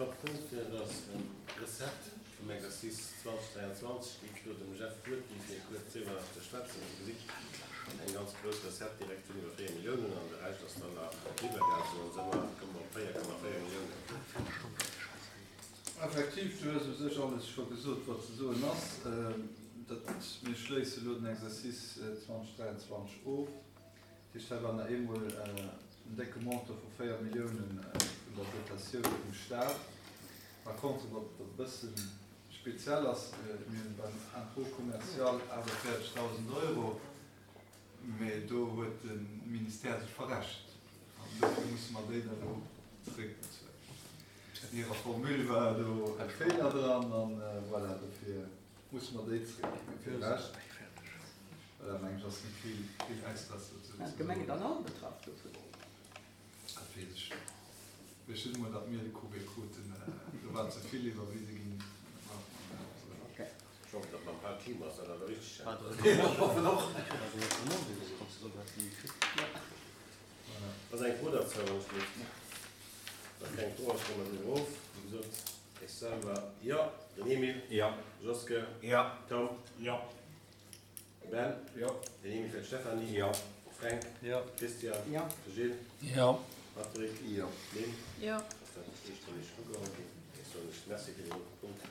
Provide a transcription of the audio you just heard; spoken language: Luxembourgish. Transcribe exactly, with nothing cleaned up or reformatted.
Top Punkt, dat ass d'Recette vum Exercice zwanzeg dräianzwanzeg. Géif elo dem Jeff d'Wuert ginn, fir kuerz driwwer nach ze schwätzen. Dir gesitt, eng ganz grouss Recette direkt vun iwwer véier Milliounen an de Rescht ass dann nach iwwergaangen, sou an Summer komme mer op véier Komma véier Milliounen. Effektiv, du hues u sech alles scho gesot, wat ze soen ass. Dat, mir schléisse elo den Exercice zwanzeg dräianzwanzeg of. Dat heescht, hei war nach eemol en décke Montant vu véier Milliounen vun der Dotatioun vum Staat. Par contre, wat e bësse speziell ass, mir hunn beim Impôt commercial aachtenvéierzegdausend Euro, mä do huet de Ministère sech verrechent an dofir musse mer déi dann elo zeréckbezuelen. An hirer Formule war do e Feeler dran an voilà, dofir musse mer déi zeréckginn. Mee fir de Rescht, voilà, mengen ech, ass net vill, vill Extras dozou ze Waren d'Gemengen soen. dann all betraff dovun? Dat weess ech net. Ech just emol, datt mir de Courrier kruten, do war ze vill iwwerwise ginn. Okay. Ech hoffen, datt mam Paul Thiemer ass dat awer richteg. Ech hoffen och. Ass eng Fro derzou, wann ech léif? Wa keng Fro ass, stëmme mer driwwer of. Wéi gesot, ech selwer, jo. Den Emile? Jo. Joske? Jo. Tom? Jo. Ben? Jo. Den Emile fir d'Stéphanie? Jo. Fränk? Jo. Christian? Jo. De Gilles? Jo. Patrick? Jo. Lynn? Jo. Ass dat eestëmmeg ugeholl ginn? Ech soen lech Merci fir deen Punkt.